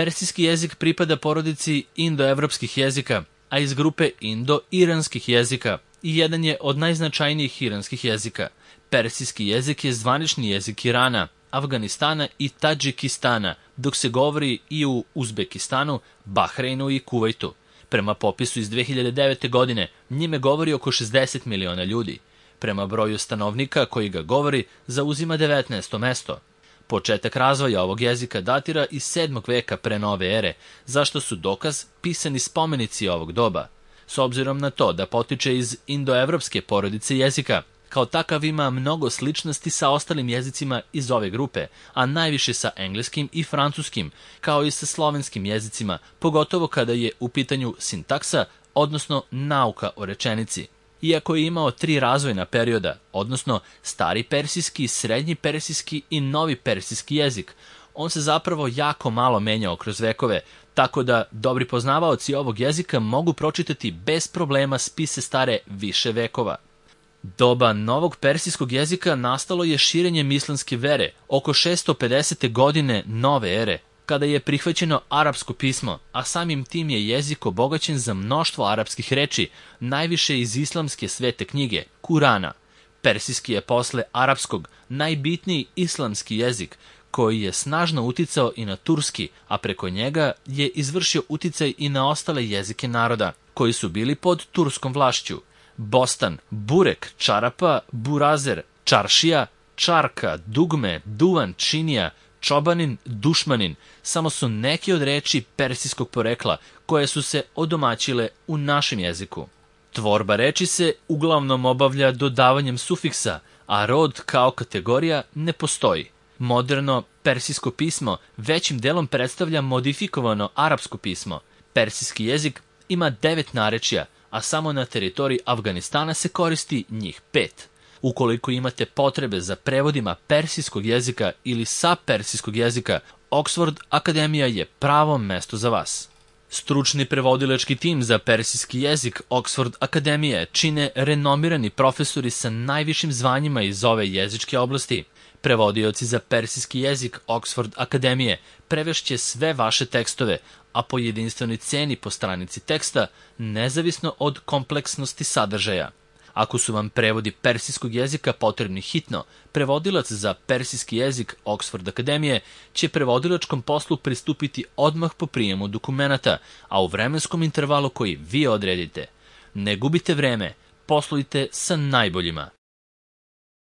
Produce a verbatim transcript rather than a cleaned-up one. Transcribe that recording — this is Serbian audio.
Persijski jezik pripada porodici indoevropskih jezika, a iz grupe indo-iranskih jezika i jedan je od najznačajnijih iranskih jezika. Persijski jezik je zvanični jezik Irana, Afganistana i Tadžikistana, dok se govori i u Uzbekistanu, Bahreinu i Kuvajtu. Prema popisu iz dve hiljade devete. godine, njime govori oko šezdeset miliona ljudi. Prema broju stanovnika koji ga govori, zauzima devetnaesto mesto. Početak razvoja ovog jezika datira iz sedmog veka pre nove ere, zašto su dokaz pisani spomenici ovog doba. S obzirom na to da potiče iz indoevropske porodice jezika, kao takav ima mnogo sličnosti sa ostalim jezicima iz ove grupe, a najviše sa engleskim i francuskim, kao i sa slovenskim jezicima, pogotovo kada je u pitanju sintaksa, odnosno nauka o rečenici. Iako je imao tri razvojna perioda, odnosno stari persijski, srednji persijski i novi persijski jezik, on se zapravo jako malo menjao kroz vekove, tako da dobri poznavaoci ovog jezika mogu pročitati bez problema spise stare više vekova. Doba novog persijskog jezika nastalo je širenjem islamske vere oko šesto pedesete. godine nove ere, kada je prihvaćeno arapsko pismo, a samim tim je jezik obogaćen za mnoštvo arapskih reči, najviše iz islamske svete knjige, Kurana. Persijski je posle arapskog najbitniji islamski jezik, koji je snažno uticao i na turski, a preko njega je izvršio uticaj i na ostale jezike naroda, koji su bili pod turskom vlašću. Bostan, burek, čarapa, burazer, čaršija, čarka, dugme, duvan, činija, čobanin, dušmanin, samo su neki od reči persijskog porekla koje su se odomaćile u našem jeziku. Tvorba reči se uglavnom obavlja dodavanjem sufiksa, a rod kao kategorija ne postoji. Moderno persijsko pismo većim delom predstavlja modifikovano arapsko pismo. Persijski jezik ima devet narečja, a samo na teritoriji Afganistana se koristi njih pet. Ukoliko imate potrebe za prevodima persijskog jezika ili sa persijskog jezika, Oxford Akademija je pravo mesto za vas. Stručni prevodilački tim za persijski jezik Oxford Akademije čine renomirani profesori sa najvišim zvanjima iz ove jezičke oblasti. Prevodioci za persijski jezik Oxford Akademije prevešće sve vaše tekstove, a po jedinstvenoj ceni po stranici teksta, nezavisno od kompleksnosti sadržaja. Ako su vam prevodi persijskog jezika potrebni hitno, prevodilac za persijski jezik Oxford Akademije će prevodilačkom poslu pristupiti odmah po prijemu dokumenata, a u vremenskom intervalu koji vi odredite. Ne gubite vreme, poslujte sa najboljima.